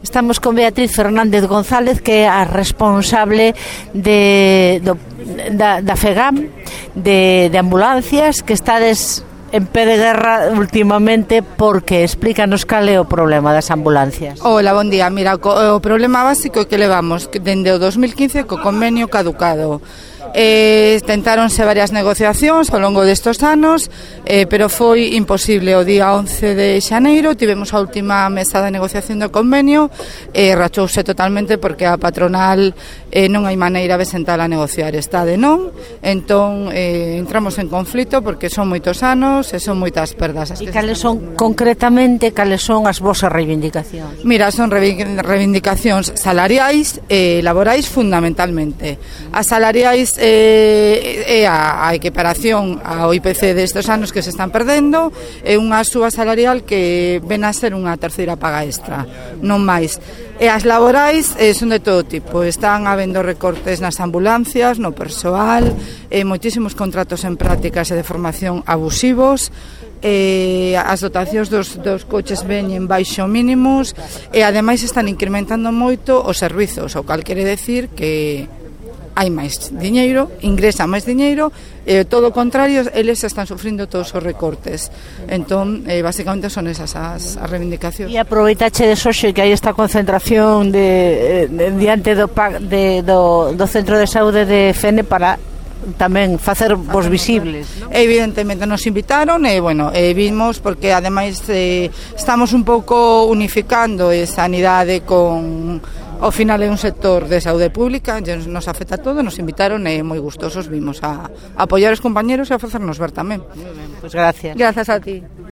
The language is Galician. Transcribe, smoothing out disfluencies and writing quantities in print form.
Estamos con Beatriz Fernández González, que é a responsable da FEGAM, de ambulancias, que estades en pé de guerra últimamente, porque explícanos cal é o problema das ambulancias. Hola, bon día. Mira, o problema básico é que levamos dende o 2015 co convenio caducado. Tentáronse varias negociacións ao longo destes anos, pero foi imposible. O día 11 de xaneiro tivemos a última mesa de negociación do convenio e rachouse totalmente porque a patronal non hai maneira de sentar a negociar, está de non. Entón entramos en conflito porque son moitos anos e son moitas perdas. E cales son concretamente as vosas reivindicacións? Mira, son reivindicacións salariais e laborais fundamentalmente. As salariais é a equiparación ao IPC destes anos que se están perdendo, é unha suba salarial que ven a ser unha terceira paga extra, non máis. E as laborais son de todo tipo, están habendo recortes nas ambulancias, no persoal, moitísimos contratos en prácticas e de formación abusivos, as dotacións dos coches veñen baixo mínimos e ademais están incrementando moito os servizos, o cal quere decir que hai máis diñeiro, ingresa máis diñeiro, todo o contrario, eles están sufrindo todos os recortes. Entón, basicamente son esas as reivindicacións. E aproveitache de hoxe que hai esta concentración diante do Centro de Saúde de Fene para tamén facer vos visibles, non? Evidentemente nos invitaron e, bueno, vimos porque ademais estamos un pouco unificando sanidade con... Ao final é un sector de saúde pública, nos afecta todo, nos invitaron e moi gustosos vimos a apoiar os compañeros e a facernos ver tamén. Moi ben, pois gracias. Grazas a ti.